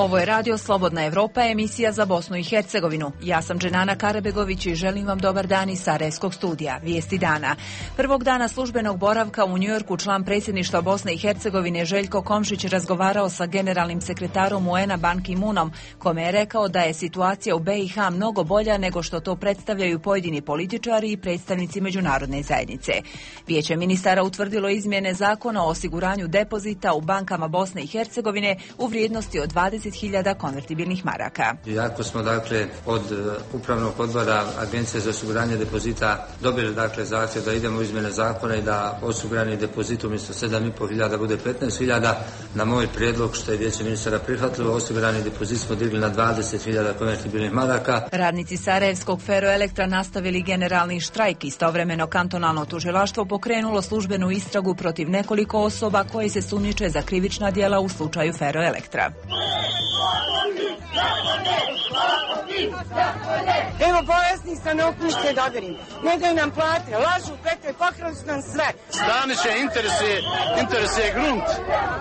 Ovo je Radio Slobodna Evropa, emisija za Bosnu i Hercegovinu. Ja sam Dženana Karabegović i želim vam dobar dan iz Sarajevskog studija. Vijesti dana. Prvog dana službenog boravka u Njujorku član predsjedništva Bosne i Hercegovine Željko Komšić razgovarao sa generalnim sekretarom UN-a Ban Ki-moonom, kome je rekao da je situacija u BiH mnogo bolja nego što to predstavljaju pojedini političari i predstavnici međunarodne zajednice. Vijeće ministara utvrdilo izmjene zakona o osiguranju depozita u bankama Bosne i Hercegovine u vrijednosti od 20.000 konvertibilnih maraka. Iako smo od upravnog odbora Agencije za osiguranje depozita dobili zahtjev da idemo u izmjene zakona i da osigurani depozit umjesto 7.500 bude 15.000, na moj prijedlog što je vijeće ministara prihvatilo, osigurani depozit smo digli na 20.000 konvertibilnih maraka. Radnici Sarajevskog Feroelektra nastavili generalni štrajk. Istovremeno kantonalno tužilaštvo pokrenulo službenu istragu protiv nekoliko osoba koje se sumnjiče za krivična djela u slučaju Feroelektra. Evo bolesni stanovništvo dobirim. Ne daju nam plate, lažu, pete, pokrali su nam sve. Staniće interesuje grunt.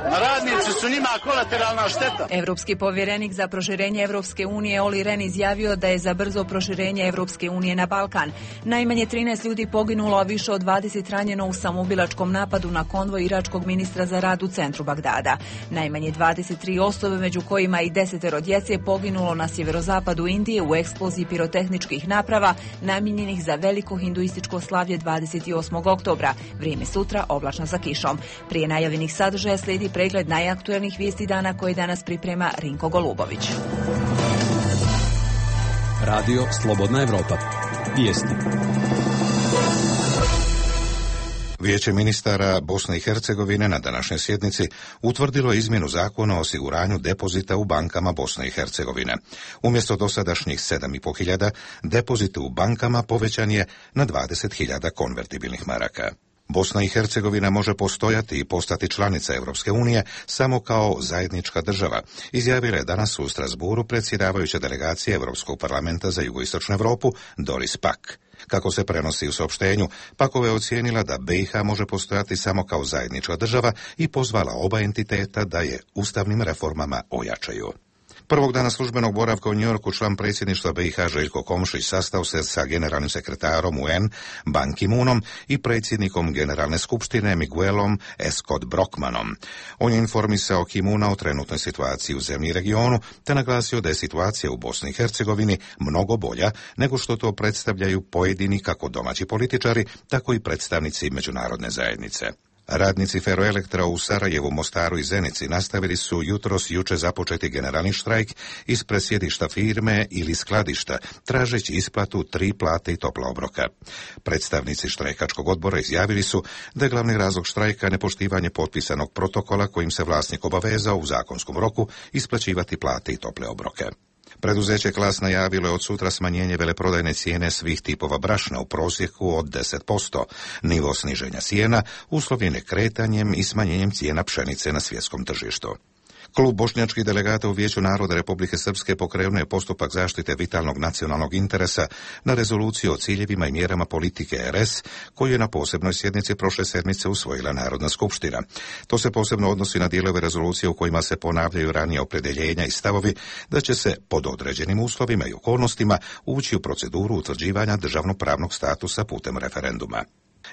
Radnici su njima kolateralna šteta. Evropski povjerenik za proširenje Evropske unije Olli Rehn izjavio da je za brzo proširenje Evropske unije na Balkan. Najmanje 13 ljudi poginulo, a više od 20 ranjeno u samoubilačkom napadu na konvoj iračkog ministra za rad u centru Bagdada. Najmanje 23 osobe, među kojima i 10 djece, poginulo na sjeverozapadu Indije u eksploziji pirotehničkih naprava namijenjenih za veliko hinduističko slavlje 28. oktobra. Vrijeme sutra oblačno sa kišom. Prije najavljenih sadržaja slijedi pregled najaktuelnijih vijesti dana koje danas priprema Rinko Golubović. Radio Slobodna Evropa. Vijesti. Vijeće ministara Bosne i Hercegovine na današnjoj sjednici utvrdilo izmjenu zakona o osiguranju depozita u bankama Bosne i Hercegovine. Umjesto dosadašnjih 7.500, depozit u bankama povećan je na 20.000 konvertibilnih maraka. Bosna i Hercegovina može postojati i postati članica Europske unije samo kao zajednička država, izjavila je danas u Strasbourgu predsjedavajuća delegacija Europskog parlamenta za jugoistočnu Europu Doris Pack. Kako se prenosi u saopštenju, Pakova je ocijenila da BiH može postojati samo kao zajednička država i pozvala oba entiteta da je ustavnim reformama ojačaju. Prvog dana službenog boravka u Njujorku član predsjedništva BiH Željko Komšić sastao se sa generalnim sekretarom UN Ban Ki-moonom i predsjednikom Generalne skupštine Miguelom Scott Brockmanom. On je informisao Ki-moona o trenutnoj situaciji u zemlji i regionu, te naglasio da je situacija u Bosni i Hercegovini mnogo bolja nego što to predstavljaju pojedini kako domaći političari, tako i predstavnici međunarodne zajednice. Radnici Feroelektra u Sarajevu, Mostaru i Zenici nastavili su juče započeti generalni štrajk ispred sjedišta firme ili skladišta, tražeći isplatu 3 plate i topla obroka. Predstavnici štrajkačkog odbora izjavili su da je glavni razlog štrajka nepoštivanje potpisanog protokola kojim se vlasnik obavezao u zakonskom roku isplaćivati plate i tople obroke. Preduzeće Klas najavilo je od sutra smanjenje veleprodajne cijene svih tipova brašna u prosjeku od 10%. Nivo sniženja cijena uslovljen je kretanjem i smanjenjem cijena pšenice na svjetskom tržištu. Klub bošnjačkih delegata u Vijeću naroda Republike Srpske pokrenuo je postupak zaštite vitalnog nacionalnog interesa na rezoluciju o ciljevima i mjerama politike RS, koju je na posebnoj sjednici prošle sedmice usvojila Narodna skupština. To se posebno odnosi na dijelove rezolucije u kojima se ponavljaju ranije opredjeljenja i stavovi da će se pod određenim uslovima i okolnostima ući u proceduru utvrđivanja državnopravnog statusa putem referenduma.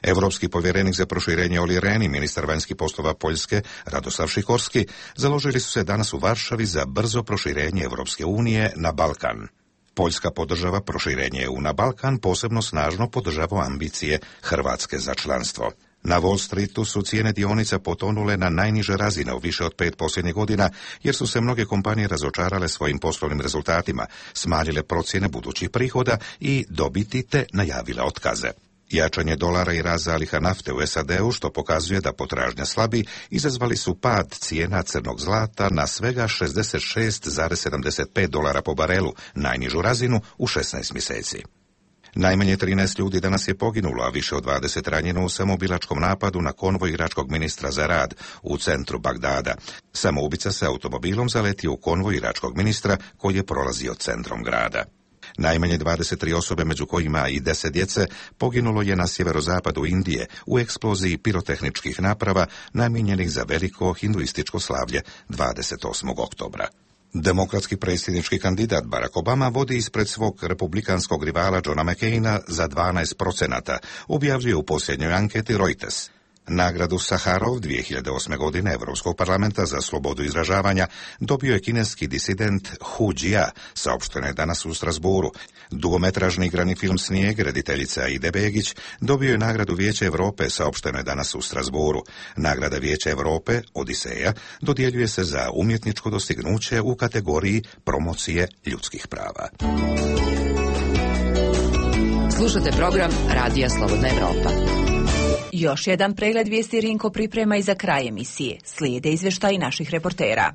Europski povjerenik za proširenje Olli Rehn i ministar vanjskih poslova Poljske Radoslav Sikorski založili su se danas u Varšavi za brzo proširenje Europske unije na Balkan. Poljska podržava proširenje EU na Balkan, posebno snažno podržava ambicije Hrvatske za članstvo. Na Wall Streetu su cijene dionica potonule na najniže razine u više od 5 posljednjih godina, jer su se mnoge kompanije razočarale svojim poslovnim rezultatima, smanjile procjene budućih prihoda i dobiti te najavile otkaze. Jačanje dolara i rast zaliha nafte u SAD-u, što pokazuje da potražnja slabi, izazvali su pad cijena crnog zlata na svega $66,75 po barelu, najnižu razinu u 16 mjeseci. Najmanje 13 ljudi danas je poginulo, a više od 20 ranjeno u samoubilačkom napadu na konvoj iračkog ministra za rad u centru Bagdada. Samoubica se automobilom zaletio u konvoj iračkog ministra koji je prolazio centrom grada. Najmanje 23 osobe, među kojima i 10 djece, poginulo je na sjeverozapadu Indije u eksploziji pirotehničkih naprava namijenjenih za veliko hinduističko slavlje 28. oktobra. Demokratski predsjednički kandidat Barack Obama vodi ispred svog republikanskog rivala Johna McCaina za 12%, objavljuje u posljednjoj anketi Reuters. Nagradu Saharov 2008. godine Europskog parlamenta za slobodu izražavanja dobio je kineski disident Hu Jia, saopšteno je danas u Strasbourgu. Dugometražni igrani film Snijeg, rediteljica Aide Begić, dobio je nagradu Vijeća Europe, saopšteno je danas u Strasbourgu. Nagrada Vijeća Europe, Odiseja, dodjeljuje se za umjetničko dostignuće u kategoriji promocije ljudskih prava. Slušate program Radija Slobodna Evropa. Još jedan pregled vijesti Rinko priprema i za kraj emisije. Slijede izvještaji naših reportera.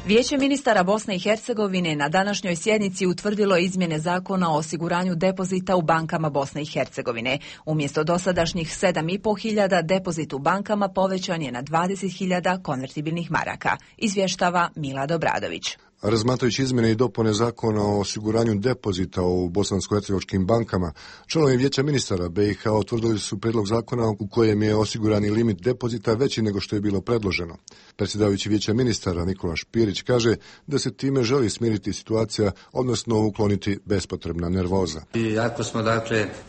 Vijeće ministara Bosne i Hercegovine na današnjoj sjednici utvrdilo izmjene zakona o osiguranju depozita u bankama Bosne i Hercegovine. Umjesto dosadašnjih 7.500 depozit u bankama povećan je na 20.000 konvertibilnih maraka, izvještava Milad Obradović. Razmatrajući izmjene i dopune zakona o osiguranju depozita u bosansko-hercegovačkim bankama, članovi Vijeća ministara BiH utvrdili su prijedlog zakona u kojem je osigurani limit depozita veći nego što je bilo predloženo. Predsjedavajući Vijeća ministara Nikola Špirić kaže da se time želi smiriti situacija, odnosno ukloniti bespotrebna nervoza. Iako smo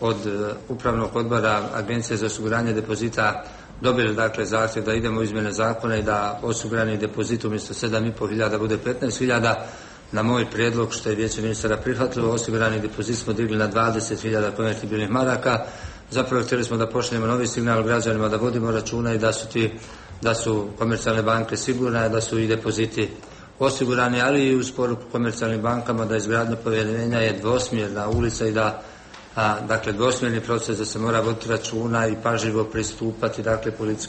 od upravnog odbora Agencije za osiguranje depozita dobili zahtjev da idemo u izmjene zakona i da osigurani depozit umjesto 7.500 bude 15.000, na moj prijedlog što je Vijeće ministara prihvatilo, osigurani depozit smo digli na 20.000 konvertibilnih maraka. Zapravo htjeli smo da pošaljemo novi signal građanima da vodimo računa i da su komercijalne banke sigurne, da su i depoziti osigurani, ali i uz poruku komercijalnim bankama da izgradnja povjerenja je dvosmjerna ulica i da dvosmjerni proces, da se mora voditi računa i pažljivo pristupati politici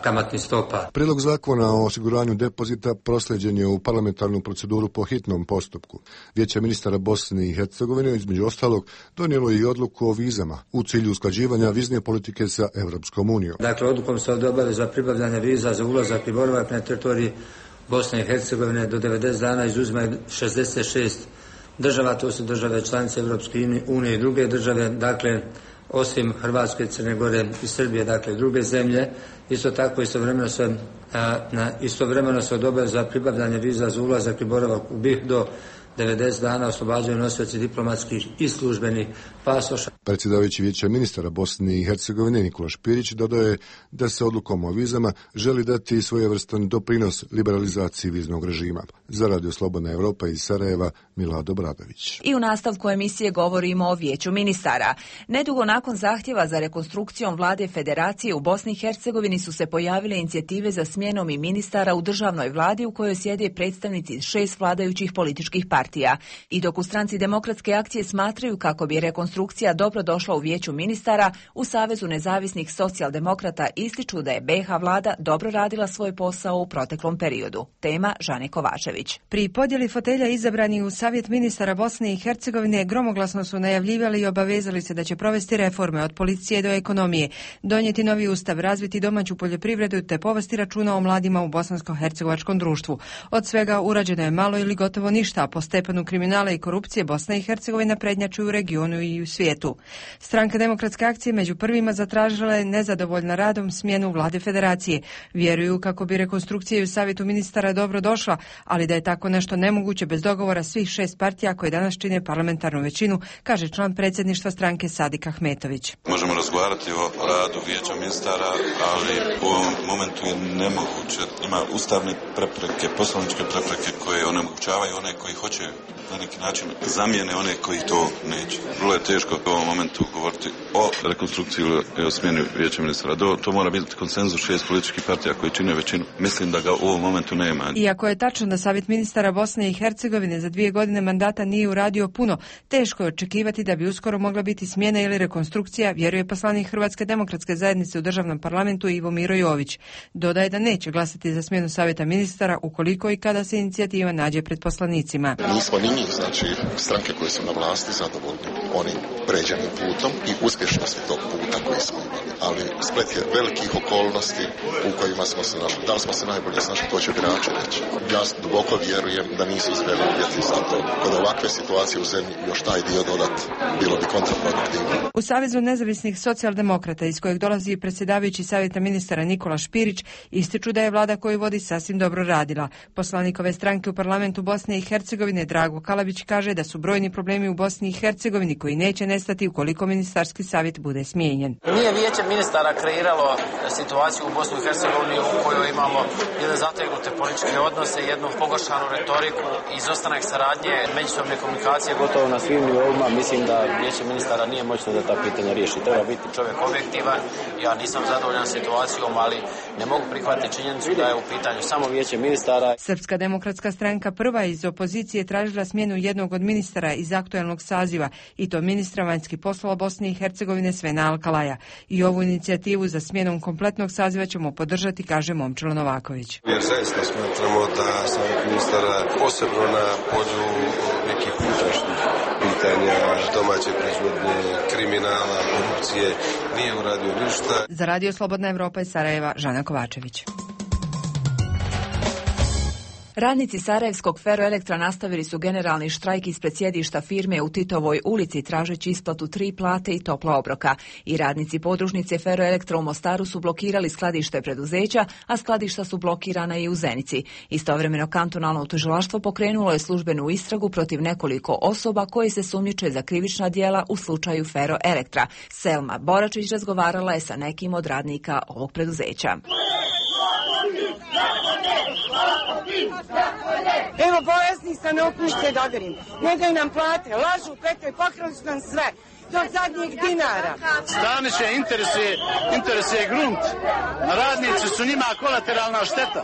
kamatnih stopa. Prijedlog zakona o osiguranju depozita proslijeđen je u parlamentarnu proceduru po hitnom postupku. Vijeće ministara Bosne i Hercegovine između ostalog donijelo i odluku o vizama u cilju usklađivanja vizne politike sa Europskom unijom. Odlukom se ovdje obaveza pribavljanja viza za ulazak i boravak na teritoriji Bosne i Hercegovine do 90 dana izuzima 66 država, to su države članice Europske unije i druge države, osim Hrvatske, Crne Gore i Srbije, druge zemlje. Isto tako istovremeno se odobravaju za pribavljanje viza za ulazak i boravak u BiH do 90 dana oslobađaju nosioci diplomatskih i službenih pasoša. Predsjedavajući Vijeća ministara Bosne i Hercegovine Nikola Špirić dodaje da se odlukom o vizama želi dati svojevrstan doprinos liberalizaciji viznog režima. Za Radio Slobodna Evropa iz Sarajeva, Milad Obradović. I u nastavku emisije govorimo o Vijeću ministara. Nedugo nakon zahtjeva za rekonstrukcijom vlade Federacije u Bosni i Hercegovini su se pojavile inicijative za smjenom i ministara u državnoj vladi u kojoj sjede predstavnici 6 vladajućih političkih partija. I dok u stranci Demokratske akcije smatraju kako bi rekonstrukcija dobro došla u Vijeću ministara, u Savezu nezavisnih socijaldemokrata ističu da je BiH vlada dobro radila svoj posao u proteklom periodu. Tema Žane Kovačević. Pri podjeli fotelja izabrani u Savjet ministara Bosne i Hercegovine gromoglasno su najavljivali i obavezali se da će provesti reforme od policije do ekonomije, donijeti novi ustav, razviti domaću poljoprivredu te povesti računa o mladima u bosansko-hercegovačkom društvu. Od svega urađeno je malo ili gotovo ništa, a po stepenu kriminala i korupcije Bosna i Hercegovina prednjači u regionu i u svijetu. Stranka Demokratske akcije među prvima zatražila je nezadovoljna radom smjenu vlade Federacije. Vjeruju kako bi rekonstrukcija u Savjetu ministara dobro došla, ali da je tako nešto nemoguće bez dogovora svih 6 partija koje danas čine parlamentarnu većinu, kaže član predsjedništva stranke Sadik Ahmetović. Možemo razgovarati o radu Vijeća ministara, ali u ovom momentu je nemoguće. Ima ustavne prepreke, poslovničke prepreke koje onemogućavaju one koji hoće na neki način zamijene one koji to neće. Vrlo je teško u ovom momentu govoriti o rekonstrukciji ili o smjeni Vijeća ministara. To mora biti konsenzus 6 političkih partija koji čine većinu. Mislim da ga u ovom momentu nema. Iako je tačno da Savjet ministara Bosne i Hercegovine za 2 godine mandata nije uradio puno, teško je očekivati da bi uskoro mogla biti smjena ili rekonstrukcija, vjeruje poslanik Hrvatske demokratske zajednice u državnom parlamentu Ivo Miro Jović. Dodaje da neće glasati za smjenu Savjeta ministara ukoliko i kada se inicijativa nađe pred poslanicima. nismo ni mi, znači stranke koje su na vlasti zadovoljni onim pređenim putom i uspješnosti tog puta koji smo imali. Ali splet je velikih okolnosti u kojima smo se našli. Da li smo se najbolje snašli, to će birači reći. Ja duboko vjerujem da nisu izveli uvjeti za to. Kod ovakve situacije u zemlji još taj dio dodat bilo bi kontraproduktivno. U Savezu nezavisnih socijaldemokrata, iz kojeg dolazi predsjedavajući savjeta ministara Nikola Špirić, ističu da je vlada koju vodi sasvim dobro radila. Poslanik ove stranke u parlamentu Bosne i Hercegovine Drago Kalabić kaže da su brojni problemi u Bosni i Hercegovini koji neće nestati ukoliko ministarski savjet bude smijenjen. Nije vijeće ministara kreiralo situaciju u Bosni i Hercegovini u kojoj imamo jedne zategnute političke odnose, jednu pogoršanu retoriku, izostanak saradnje, međusobne komunikacije gotovo na svim nivoima. Mislim da vijeće ministara nije moćno da ta pitanja riješi. Treba biti čovjek objektivan. Ja nisam zadovoljan situacijom, ali ne mogu prihvatiti činjenicu da je u pitanju samo vijeće ministara. Srpska demokratska stranka prva iz opozicije tražila smjenu jednog od ministara iz aktualnog saziva, i to ministra vanjskih poslova Bosne i Hercegovine Svena Alkalaja. I ovu inicijativu za smjenom kompletnog saziva ćemo podržati, kaže Momčilo Novaković. Jer zaista smatramo da savjet ministara, posebno na polju nekih unutrašnjih pitanja, domaće proizvodnje, kriminala, korupcije, nije uradio ništa. Za Radio Slobodna Evropa iz Sarajeva, Žana Kovačević. Radnici Sarajevskog Feroelektra nastavili su generalni štrajk ispred sjedišta firme u Titovoj ulici tražeći isplatu 3 plate i topla obroka. I radnici podružnice Feroelektra u Mostaru su blokirali skladište preduzeća, a skladišta su blokirana i u Zenici. Istovremeno kantonalno tužilaštvo pokrenulo je službenu istragu protiv nekoliko osoba koji se sumnjiče za krivična djela u slučaju Feroelektra. Selma Boračić razgovarala je sa nekim od radnika ovog preduzeća. Evo, bolesni sam, ne upušte dodarim. Ne daju nam plate, lažu, petaju, pokrali su nam sve. Do zadnjeg dinara. Staniće interesuje grunt. Radnici su njima kolateralna šteta.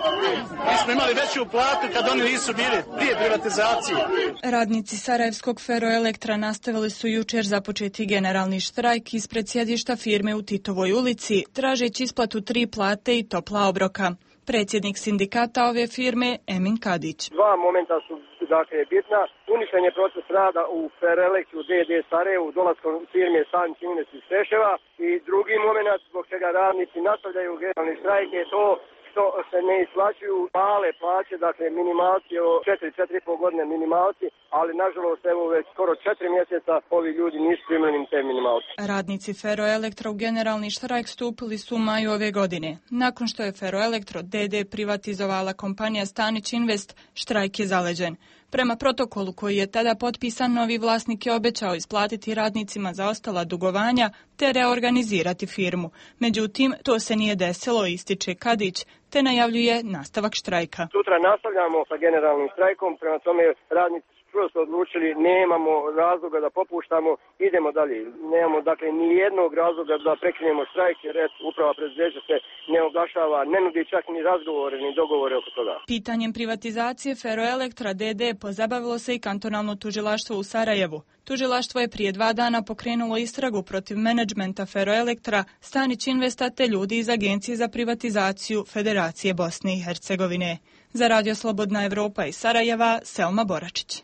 Mi smo imali veću platu kad oni nisu bili prije privatizacije. Radnici Sarajevskog Feroelektra nastavili su jučer započeti generalni štrajk ispred sjedišta firme u Titovoj ulici, tražeći isplatu 3 plate i topla obroka. Predsjednik sindikata ove firme Emin Kadić. Dva momenta su bitna. Uništen je proces rada u Feroelektru DD Sarajevu, dolaskom firme Stanić Invest iz Preševa, i drugi moment zbog čega radnici nastavljaju generalni štrajk je to što se ne isplaćuju male plaće, dakle minimalci o 4,5 godine minimalci, ali nažalost evo već skoro 4 mjeseca ovi ljudi nisu primljeni te minimalci. Radnici Feroelektra u generalni štrajk stupili su u maju ove godine. Nakon što je Feroelektro DD privatizovala kompanija Stanić Invest, štrajk je zaleđen. Prema protokolu koji je tada potpisan, novi vlasnik je obećao isplatiti radnicima zaostala dugovanja te reorganizirati firmu. Međutim, to se nije desilo, ističe Kadić, te najavljuje nastavak štrajka. Sutra nastavljamo sa generalnim štrajkom, prema tome radnici prosto odlučili, nemamo razloga da popuštamo, idemo dalje. Nemamo dakle ni jednog razloga da prekinemo štrajk, jer uprava preduzeća se ne oglašava, ne nudi čak ni razgovore ni dogovore oko toga. Pitanjem privatizacije Feroelektra DD pozabavilo se i kantonalno tužilaštvo u Sarajevu. Tužilaštvo je prije 2 dana pokrenulo istragu protiv menadžmenta Feroelektra, Stanić Investa te ljudi iz Agencije za privatizaciju Federacije Bosne i Hercegovine. Za Radio Slobodna Evropa iz Sarajeva, Selma Boračić.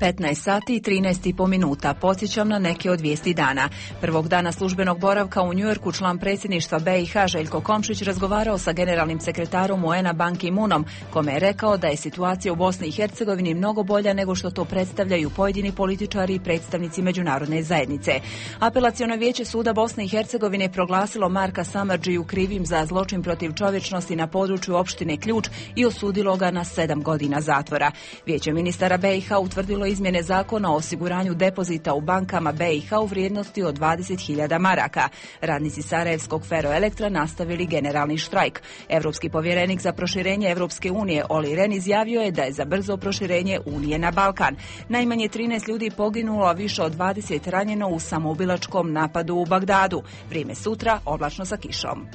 15 sati i 13,5 minuta. Podsjećam na neke od vijesti dana. Prvog dana službenog boravka u Njujorku član predsjedništva BiH Željko Komšić razgovarao sa generalnim sekretarom UN-a Ban Ki-moonom, kome je rekao da je situacija u Bosni i Hercegovini mnogo bolja nego što to predstavljaju pojedini političari i predstavnici međunarodne zajednice. Apelaciono vijeće suda Bosne i Hercegovine proglasilo Marka Samardžiju krivim za zločin protiv čovječnosti na području opštine Ključ i osudilo ga na 7 godina zatvora. Vijeće ministara BiH utvrdilo izmjene zakona o osiguranju depozita u bankama BiH u vrijednosti od 20.000 maraka. Radnici Sarajevskog Feroelektra nastavili generalni štrajk. Europski povjerenik za proširenje Europske unije Olli Rehn izjavio je da je za brzo proširenje Unije na Balkan. Najmanje 13 ljudi poginulo, a više od 20 ranjeno u samoubilačkom napadu u Bagdadu. Vrijeme sutra oblačno sa kišom.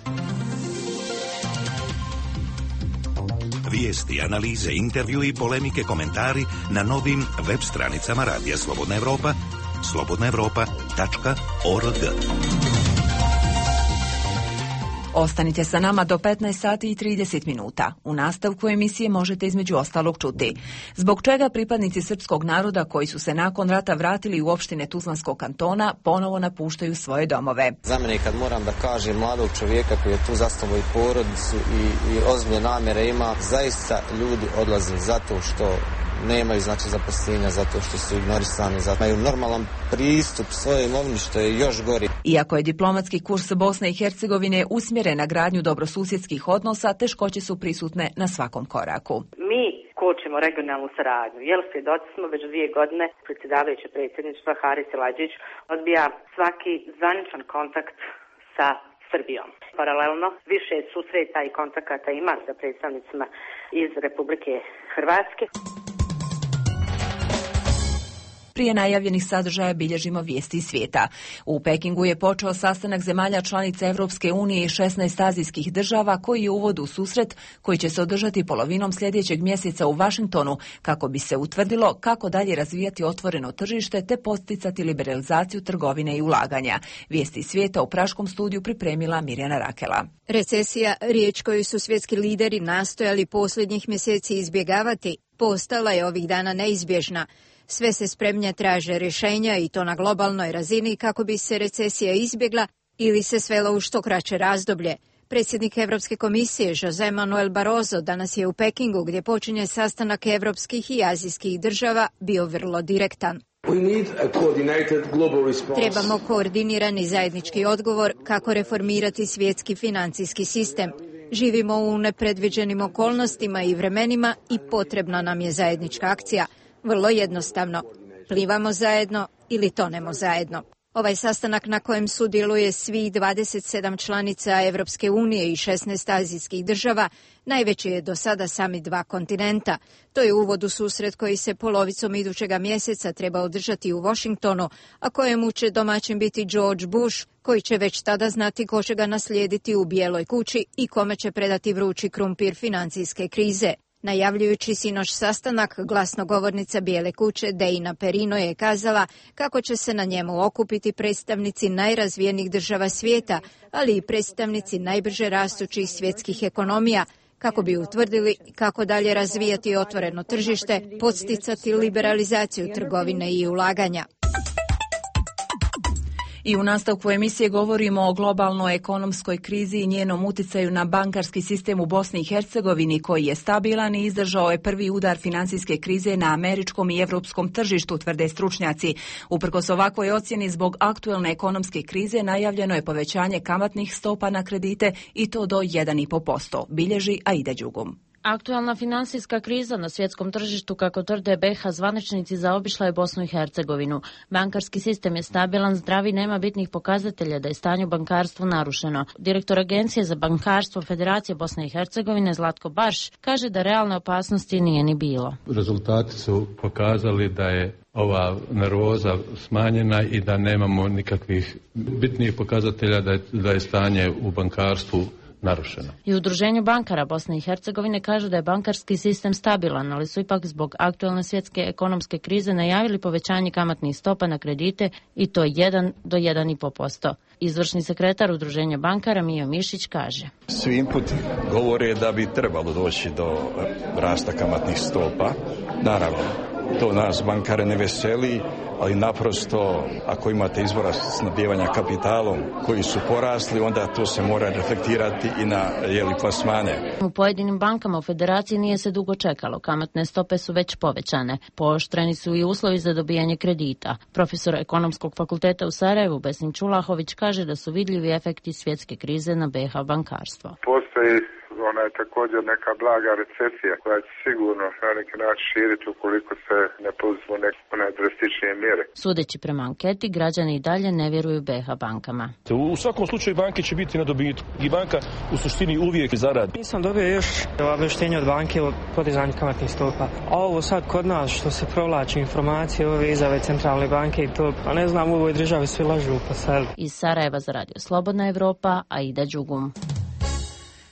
Vijesti, analize, intervju i polemike, komentari na novim web stranicama Radija Slobodna Evropa, slobodnaevropa.org. Ostanite sa nama do 15 sati i 30 minuta. U nastavku emisije možete između ostalog čuti zbog čega pripadnici srpskog naroda koji su se nakon rata vratili u opštine Tuzlanskog kantona ponovo napuštaju svoje domove. Za mene kad moram da kažem mladog čovjeka koji je tu zastavo i porodicu i ozbiljne namjere ima, zaista ljudi odlaze zato što nemaju zaposlenja, zato što su ignorisani, zato imaju normalan pristup svojoj imovini, što je još gori. Iako je diplomatski kurs Bosne i Hercegovine usmjeren na gradnju dobrosusjedskih odnosa, teškoće su prisutne na svakom koraku. Mi kočimo regionalnu saradnju, jer svjedoci smo već 2 godine predsjedavajuće predsjedništva Haris Silađić odbija svaki zvaničan kontakt sa Srbijom. Paralelno više susreta i kontakata ima sa predstavnicima iz Republike Hrvatske. Prije najavljenih sadržaja bilježimo vijesti iz svijeta. U Pekingu je počeo sastanak zemalja članica Europske unije i 16 azijskih država koji je uvod u susret koji će se održati polovinom sljedećeg mjeseca u Washingtonu kako bi se utvrdilo kako dalje razvijati otvoreno tržište te podsticati liberalizaciju trgovine i ulaganja. Vijesti iz svijeta u praškom studiju pripremila Mirjana Rakela. Recesija, riječ koju su svjetski lideri nastojali posljednjih mjeseci izbjegavati, postala je ovih dana neizbježna. Sve se spremnije traže rješenja i to na globalnoj razini kako bi se recesija izbjegla ili se svela u što kraće razdoblje. Predsjednik Europske komisije José Manuel Barroso danas je u Pekingu gdje počinje sastanak europskih i azijskih država bio vrlo direktan. Trebamo koordinirani zajednički odgovor kako reformirati svjetski financijski sistem. Živimo u nepredviđenim okolnostima i vremenima i potrebna nam je zajednička akcija. Vrlo jednostavno, plivamo zajedno ili tonemo zajedno. Ovaj sastanak na kojem sudjeluje svih 27 članica Europske unije i 16 azijskih država najveći je do sada samit 2 kontinenta. To je uvod u susret koji se polovicom idućega mjeseca treba održati u Washingtonu, a kojemu će domaćin biti George Bush, koji će već tada znati ko će ga naslijediti u Bijeloj kući i kome će predati vrući krumpir financijske krize. Najavljujući sinoć sastanak, glasnogovornica Bijele kuće Deina Perino je kazala kako će se na njemu okupiti predstavnici najrazvijenijih država svijeta, ali i predstavnici najbrže rastućih svjetskih ekonomija, kako bi utvrdili kako dalje razvijati otvoreno tržište, podsticati liberalizaciju trgovine i ulaganja. I u nastavku emisije govorimo o globalnoj ekonomskoj krizi i njenom utjecaju na bankarski sistem u Bosni i Hercegovini koji je stabilan i izdržao je prvi udar financijske krize na američkom i evropskom tržištu, tvrde stručnjaci. Uprkos ovakvoj ocjeni zbog aktuelne ekonomske krize najavljeno je povećanje kamatnih stopa na kredite i to do 1,5%, bilježi Aida Đugum. Aktualna finansijska kriza na svjetskom tržištu, kako tvrde BiH zvaničnici, zaobišla je Bosnu i Hercegovinu. Bankarski sistem je stabilan, zdrav i nema bitnih pokazatelja da je stanje u bankarstvu narušeno. Direktor Agencije za bankarstvo Federacije Bosne i Hercegovine Zlatko Barš kaže da realne opasnosti nije ni bilo. Rezultati su pokazali da je ova nervoza smanjena i da nemamo nikakvih bitnih pokazatelja da je stanje u bankarstvu narušeno. I Udruženju bankara Bosne i Hercegovine kaže da je bankarski sistem stabilan, ali su ipak zbog aktualne svjetske ekonomske krize najavili povećanje kamatnih stopa na kredite i to 1 do 1,5%. Izvršni sekretar Udruženja bankara Mijo Mišić kaže: Svi inputi govore da bi trebalo doći do rasta kamatnih stopa. Naravno, to nas bankare ne veseli, ali naprosto ako imate izvora snabdijevanja kapitalom koji su porasli, onda to se mora reflektirati i na plasmane. U pojedinim bankama u Federaciji nije se dugo čekalo. Kamatne stope su već povećane. Pooštreni su i uslovi za dobijanje kredita. Profesor Ekonomskog fakulteta u Sarajevu Besim Čulahović kaže da su vidljivi efekti svjetske krize na BiH bankarstvo. Postoji ona je također neka blaga recesija koja će sigurno na neki način širiti ukoliko se ne poduzmu neke drastičnije mjere. Sudeći prema anketi, građani i dalje ne vjeruju BiH bankama. U svakom slučaju banke će biti na dobitku i banka u suštini uvijek zaradi. Nisam dobio još obavještenje od banke o podizanju kamatnih stopa. A ovo sad kod nas što se provlači informacije ove izjave centralne banke i to, a ne znam, u ovoj državi svi lažu pa sad. Iz Sarajeva za Radio Slobodna Evropa, Aida Đugum.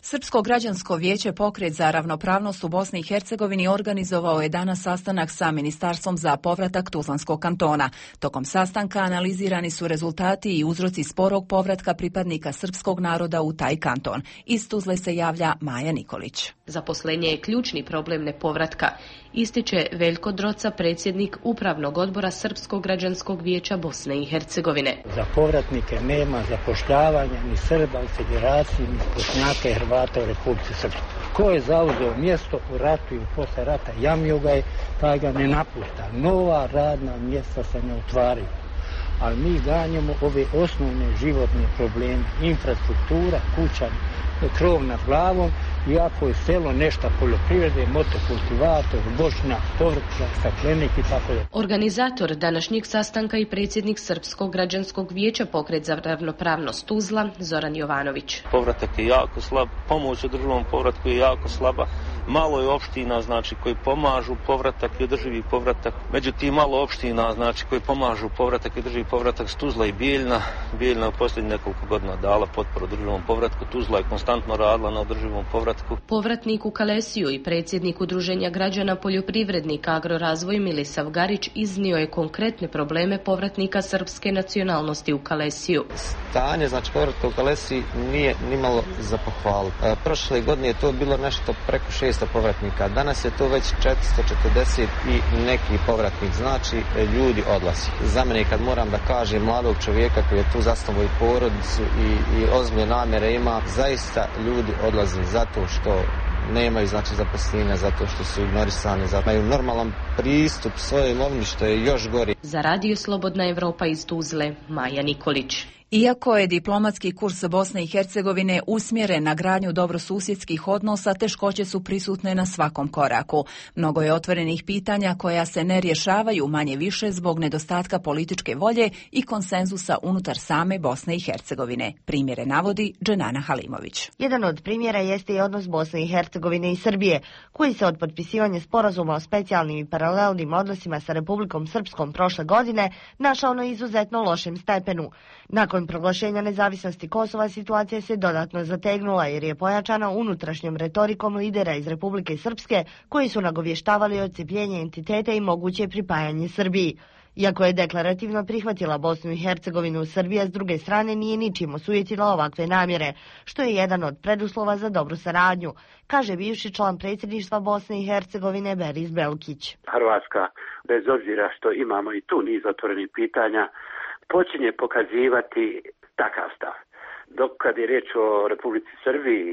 Srpsko građansko vijeće Pokret za ravnopravnost u Bosni i Hercegovini organizovao je danas sastanak sa Ministarstvom za povratak Tuzlanskog kantona. Tokom sastanka analizirani su rezultati i uzroci sporog povratka pripadnika srpskog naroda u taj kanton. Iz Tuzle se javlja Maja Nikolić. Zaposlenje je ključni problem nepovratka, ističe Veljko Droca, predsjednik Upravnog odbora Srpskog građanskog vijeća Bosne i Hercegovine. Za povratnike nema zapošljavanja ni Srba u federaciji, ni Bošnjaka i Hrvata u Republici Srpskoj. Ko je zauzeo mjesto u ratu i posle rata, jamio ga je, taj ga ne napušta. Nova radna mjesta se ne otvaraju. Ali mi ganjamo ove osnovne životne probleme, infrastruktura, kuća, krov nad glavom, i ako je selo nešto poljoprivrede, motokultivator, bošnjak, povrtljak, staklenik i tako je. Organizator današnjeg sastanka i predsjednik Srpskog građanskog vijeća Pokret za ravnopravnost Tuzla, Zoran Jovanović. Povratak je jako slab, pomoć u državnom povratku je jako slaba. Malo je opština, znači, koji pomažu povratak i održivi povratak. Međutim, malo opština, znači, koji pomažu povratak i održivi povratak s Tuzla i Bijeljna. Bijeljna je u posljednjih nekoliko godina dala potporu održivom povratku. Tuzla je konstantno radila na održivom povratku. Povratnik u Kalesiju i predsjednik Udruženja građana poljoprivrednika Agrorazvoj Milisav Garić iznio je konkretne probleme povratnika srpske nacionalnosti u Kalesiju. Stanje, znači, povratka u Kalesiji nije nimalo za pohvalu. Prošle godine je to bilo nešto preko 600 povratnika. Danas je to već 440 i neki povratnik. Znači, ljudi odlazi. Za mene, kad moram da kažem, mladog čovjeka koji je tu zasnovao i porodicu i ozbiljne namjere ima, zaista ljudi odlazi zato što nemaju, znači, zaposlenja, zato što su ignorisani, zato imaju normalan pristup svojoj imovini, što je još gori. Za Radio Slobodna Evropa iz Tuzle, Maja Nikolić. Iako je diplomatski kurs Bosne i Hercegovine usmjeren na gradnju dobrosusjedskih odnosa, teškoće su prisutne na svakom koraku. Mnogo je otvorenih pitanja koja se ne rješavaju manje više zbog nedostatka političke volje i konsenzusa unutar same Bosne i Hercegovine. Primjere navodi Dženana Halimović. Jedan od primjera jeste i odnos Bosne i Hercegovine i Srbije, koji se od potpisivanja sporazuma o specijalnim i paralelnim odnosima sa Republikom Srpskom prošle godine našao na izuzetno lošem stepenu. Nakon proglašenja nezavisnosti Kosova situacija se dodatno zategnula jer je pojačana unutrašnjom retorikom lidera iz Republike Srpske koji su nagovještavali odcepljenje entiteta i moguće pripajanje Srbiji. Iako je deklarativno prihvatila Bosnu i Hercegovinu, Srbija s druge strane nije ničim osujetila ovakve namjere, što je jedan od preduslova za dobru saradnju, kaže bivši član predsjedništva Bosne i Hercegovine Beris Belkić. Hrvatska, bez obzira što imamo i tu niz otvorenih pitanja, počinje pokazivati takav stav. Dok kad je riječ o Republici Srbiji,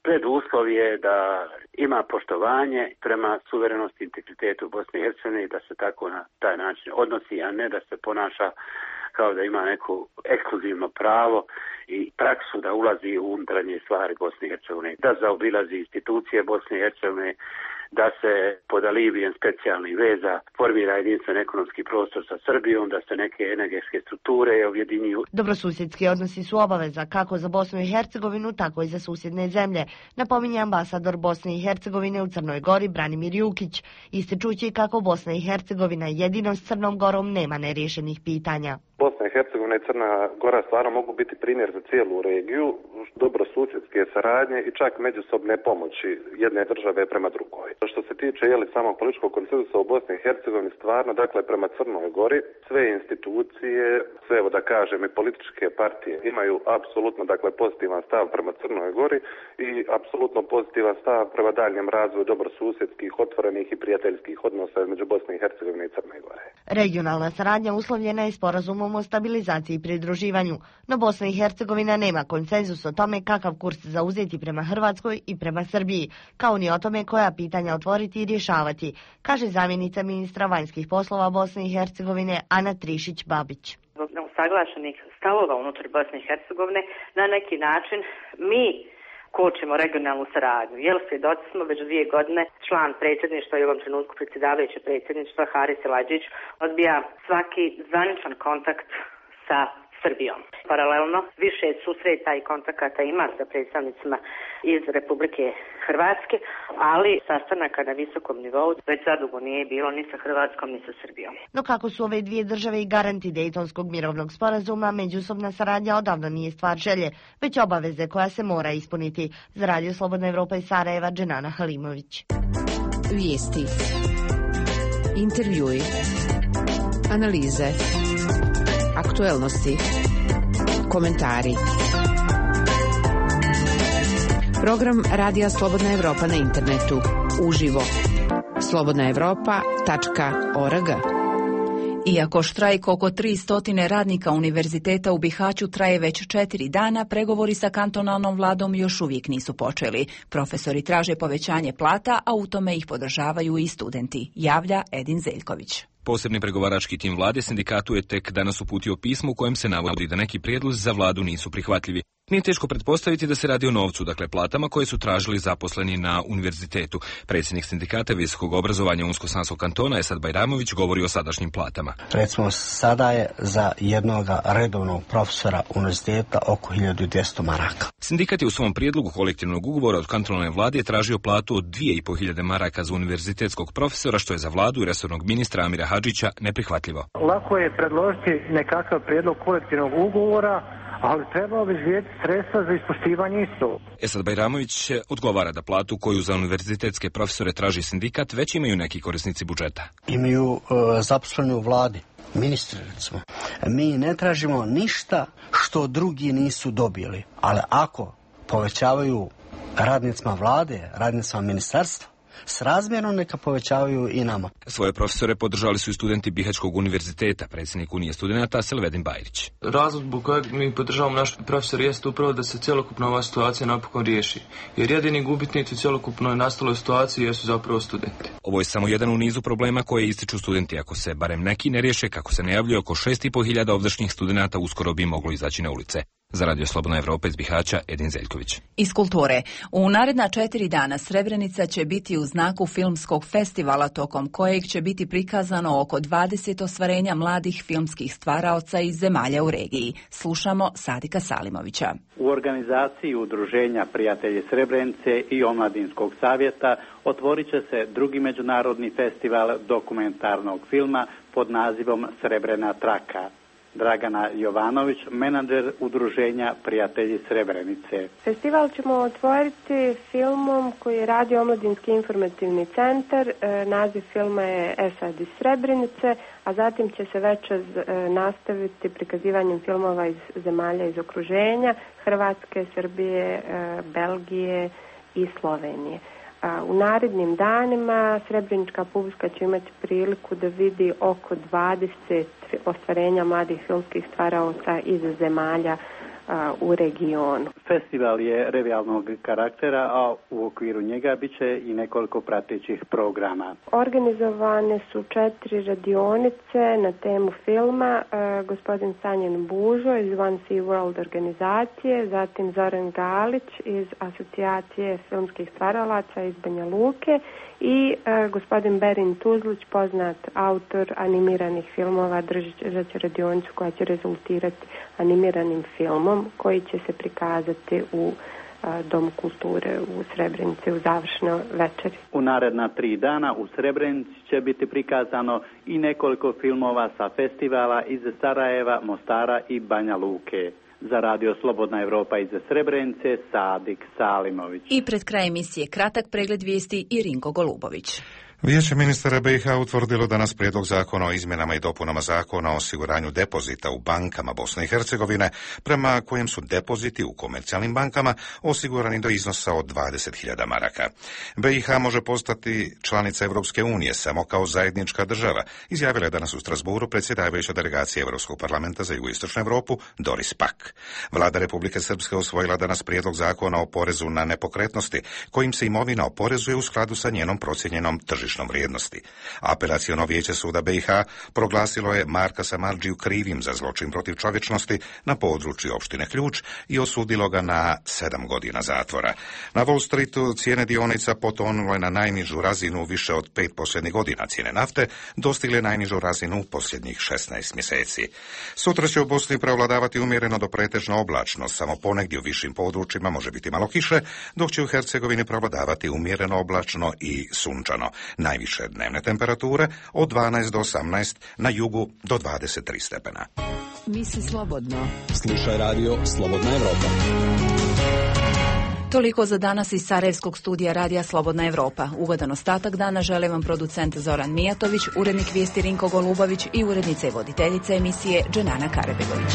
preduslov je da ima poštovanje prema suverenosti i integritetu Bosne i Hercegovine i da se tako na taj način odnosi, a ne da se ponaša kao da ima neko ekskluzivno pravo i praksu da ulazi u unutarnje stvari Bosne i Hercegovine, da zaobilazi institucije Bosne i Hercegovine, da se pod alibijem specijalnih veza formira jedinstven ekonomski prostor sa Srbijom, da se neke energetske strukture objedinjuju. Dobrosusjedski odnosi su obaveza kako za Bosnu i Hercegovinu, tako i za susjedne zemlje, napominje ambasador Bosne i Hercegovine u Crnoj Gori Branimir Jukić, ističući kako Bosna i Hercegovina jedino s Crnom Gorom nema neriješenih pitanja. Bosna i Hercegovina i Crna Gora stvarno mogu biti primjer za cijelu regiju, dobrosusjedske saradnje i čak međusobne pomoći jedne države prema drugoj. Što se tiče samog političkog konsenzusa u Bosni i Hercegovini, stvarno, dakle, prema Crnoj Gori, sve institucije, sve, evo da kažem, i političke partije imaju apsolutno, dakle, pozitivan stav prema Crnoj Gori i apsolutno pozitivan stav prema daljem razvoju dobrosusjedskih, otvorenih i prijateljskih odnosa između Bosne i Hercegovine i Crne Gore. Regionalna saradnja uslovljena je sporazumom o stabilizaciji i pridruživanju, no Bosna i Hercegovina nema konsenzus o tome kakav kurs zauzeti prema Hrvatskoj i prema Srbiji, kao ni o tome koja pitanja otvoriti i rješavati, kaže zamjenica ministra vanjskih poslova Bosne i Hercegovine Ana Trišić-Babić. Zbog neusaglašenih stavova unutar Bosne i Hercegovine na neki način mi kočimo regionalnu saradnju. Svjedoci smo već 2 godine, član predsjedništva i u ovom trenutku predsjedavajuće predsjedništva Haris Elađić odbija svaki zvaničan kontakt sa Srbijom. Paralelno više susreta i kontakata ima sa predstavnicima iz Republike Hrvatske, ali sastanaka na visokom nivou već zadugo nije bilo ni sa Hrvatskom ni sa Srbijom. No kako su ove dvije države i garanti Dejtonskog mirovnog sporazuma, međusobna saradnja odavno nije stvar želje, već obaveze koja se mora ispuniti. Za Radio Slobodna Evropa iz Sarajeva, Dženana Halimović. Vijesti, intervjui, analize, aktuelnosti, komentari. Program Radija Slobodna Evropa na internetu. Uživo. slobodnaevropa.org. Iako štrajk oko 300 radnika univerziteta u Bihaću traje već 4 dana, pregovori sa kantonalnom vladom još uvijek nisu počeli. Profesori traže povećanje plata, a u tome ih podržavaju i studenti, javlja Edin Zeljković. Posebni pregovarački tim vlade sindikatu je tek danas uputio pismo u kojem se navodi da neki prijedlozi za vladu nisu prihvatljivi. Nije teško pretpostaviti da se radi o novcu, dakle platama koje su tražili zaposleni na univerzitetu. Predsjednik sindikata visokog obrazovanja Unsko-Sanskog kantona Esad Bajramović govori o sadašnjim platama. Recimo, sada je za jednog redovnog profesora univerziteta oko 1200 maraka. Sindikat je u svom prijedlogu kolektivnog ugovora od kantonalne vlade tražio platu od 2500 maraka za univerzitetskog profesora, što je za vladu i resornog ministra Amira Hadžića neprihvatljivo. Lako je predložiti nekakav prijedlog kolektivnog ugovora, ali treba obezbijediti sredstva za ispoštivanje isto. Esad Bajramović odgovara da platu koju za univerzitetske profesore traži sindikat već imaju neki korisnici budžeta. Imaju zaposleni u vladi, ministri recimo. Mi ne tražimo ništa što drugi nisu dobili, ali ako povećavaju radnicima vlade, radnicima ministarstva, srazmjerno neka povećavaju i nama. Svoje profesore podržali su i studenti Bihaćkog univerziteta, predsjednik Unije studenata Selvedin Bajrić. Razlog zbog kojeg mi podržavamo naš profesor jeste upravo da se cjelokupna ova situacija napokon riješi. Jer jedini gubitnici u cjelokupnoj nastaloj situaciji jesu zapravo studenti. Ovo je samo jedan u nizu problema koje ističu studenti. Ako se barem neki ne riješe, kako se najavljuje, oko 6500 ovdašnjih studenata uskoro bi moglo izaći na ulice. Za Radio Slobodna Evropa iz Bihaća, Edin Zeljković. Iz kulture. U naredna 4 dana Srebrenica će biti u znaku filmskog festivala, tokom kojeg će biti prikazano oko 20 ostvarenja mladih filmskih stvaraoca iz zemalja u regiji. Slušamo Sadika Salimovića. U organizaciji Udruženja Prijatelji Srebrenice i Omladinskog savjeta otvorit će se drugi međunarodni festival dokumentarnog filma pod nazivom Srebrena traka. Dragana Jovanović, menadžer Udruženja Prijatelji Srebrenice. Festival ćemo otvoriti filmom koji radi Omladinski informativni centar. Naziv filma je Esad iz Srebrenice, a zatim će se večer nastaviti prikazivanjem filmova iz zemalja iz okruženja, Hrvatske, Srbije, Belgije i Slovenije. U narednim danima srebrenička publika će imati priliku da vidi oko 20 ostvarenja mladih filmskih stvaraoca iz zemalja u regionu. Festival je revijalnog karaktera, a u okviru njega bit će i nekoliko pratećih programa. Organizovane su 4 radionice na temu filma. Gospodin Sanjin Bužo iz One Sea World organizacije, zatim Zoran Galić iz Asocijacije filmskih stvaralaca iz Banja Luke i gospodin Berin Tuzlić, poznat autor animiranih filmova, držat će radionicu koja će rezultirati animiranim filmom koji će se prikazati u Domu kulture u Srebrenici u završnoj večeri. U naredna 3 dana u Srebrenici će biti prikazano i nekoliko filmova sa festivala iz Sarajeva, Mostara i Banja Luke. Za Radio Slobodna Evropa iz Srebrenice, Sadik Salimović. I pred kraj emisije kratak pregled vijesti i Rinko Golubović. Vijeće ministara BiH utvrdilo danas prijedlog zakona o izmjenama i dopunama zakona o osiguranju depozita u bankama Bosne i Hercegovine, prema kojem su depoziti u komercijalnim bankama osigurani do iznosa od 20.000 maraka. BiH može postati članica Europske unije samo kao zajednička država, izjavila je danas u Strasbourgu predsjedavajuća delegacija Europskog parlamenta za jugoistočnu Europu Doris Pack. Vlada Republike Srpske usvojila danas prijedlog zakona o porezu na nepokretnosti, kojim se imovina oporezuje u skladu sa njenom procijenjenom tržišnom tržišnom vrijednosti. Apelaciono vijeće suda BiH proglasilo je Marka Samardžiju krivim za zločin protiv čovječnosti na području opštine Ključ i osudilo ga na 7 godina zatvora. Na Wall Streetu cijene dionica potonule na najnižu razinu više od 5 posljednjih godina. Cijene nafte dostigle najnižu razinu u posljednjih 16 mjeseci. Sutra će u Bosni prevladavati umjereno do pretežno oblačno, samo ponegdje u višim područjima može biti malo kiše, dok će u Hercegovini prevladavati umjereno oblačno i sunčano. Najviše dnevne temperature od 12 do 18, na jugu do 23 stepena. Misli slobodno. Slušaj radio Slobodna Evropa. Toliko za danas iz Sarajevskog studija Radija Slobodna Evropa. Ugodan ostatak dana žele vam producent Zoran Mijatović, urednik vijesti Rinko Golubović i urednica i voditeljica emisije Dženana Karebegović.